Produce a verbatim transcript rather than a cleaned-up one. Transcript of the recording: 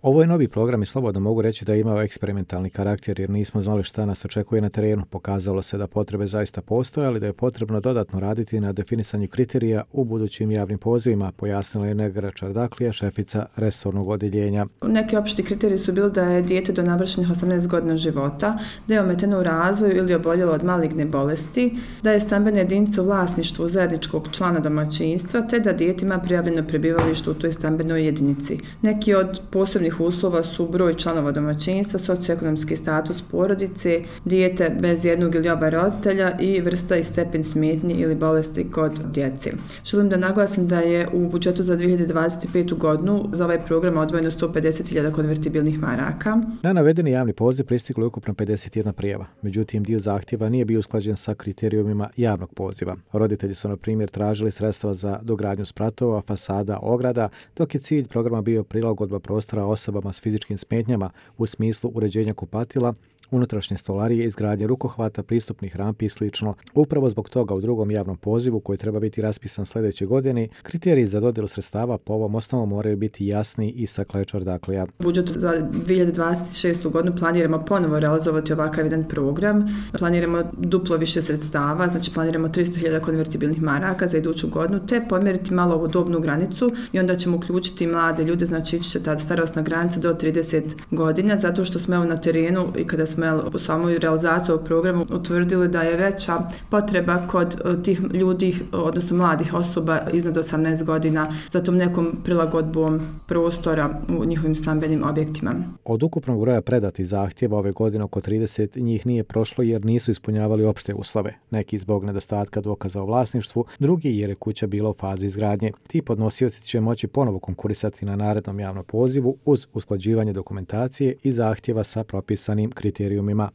Ovo je novi program i slobodno mogu reći da je imao eksperimentalni karakter jer nismo znali šta nas očekuje na terenu. Pokazalo se da potrebe zaista postoje, ali da je potrebno dodatno raditi na definisanju kriterija u budućim javnim pozivima, pojasnila je Negra Čardaklija, šefica resornog odjeljenja. Neki opšti kriteriji su bili da je dijete do navršenih osamnaest godina života, da je ometeno u razvoju ili oboljelo od maligne bolesti, da je stambena jedinica u vlasništvu zajedničkog člana domaćinstva, te da dijete ima prijavljeno prebivalište u toj stambenoj jedinici. Neki od posebnih uslova su broj članova domaćinstva, socioekonomski status porodice, dijete bez jednog ili oba roditelja i vrsta i stepen smetnji ili bolesti kod djece. Želim da naglasim da je u budžetu za dvije hiljade dvadeset petu. godinu za ovaj program odvojeno sto pedeset hiljada konvertibilnih maraka. Na navedeni javni poziv pristiglo je ukupno pedeset jedna prijava. Međutim, dio zahtjeva nije bio usklađen sa kriterijumima javnog poziva. Roditelji su, na primjer, tražili sredstva za dogradnju spratova, fasada, ograda, dok je cilj programa bio prilagodba prostora osobama s fizičkim smetnjama u smislu uređenja kupatila, unutrašnje stolarije, izgradnje rukohvata, pristupnih rampi i sl. Upravo zbog toga u drugom javnom pozivu koji treba biti raspisan sljedeće godine, kriteriji za dodjelu sredstava po ovom osnovu moraju biti jasni, istakla je Čardaklija. U budžetu za dvije hiljade dvadeset šestu. godinu planiramo ponovo realizovati ovakav jedan program. Planiramo duplo više sredstava, znači planiramo tristo hiljada konvertibilnih maraka za iduću godinu, te pomjeriti malo ovu dobnu granicu i onda ćemo uključiti mlade ljude, znači ići će ta starosna granica do trideset godina, zato što smo evo na terenu i kada smo u samoj realizaciji ovog programa utvrdili da je veća potreba kod tih ljudi, odnosno mladih osoba iznad osamnaest godina za tom nekom prilagodbom prostora u njihovim stambenim objektima. Od ukupnog broja predatih zahtjeva ove godine oko trideset njih nije prošlo jer nisu ispunjavali opšte uslove. Neki zbog nedostatka dokaza o vlasništvu, drugi jer je kuća bila u fazi izgradnje. Ti podnosioci će moći ponovo konkurisati na narednom javnom pozivu uz usklađivanje dokumentacije i zahtjeva sa propisanim kriterijumima.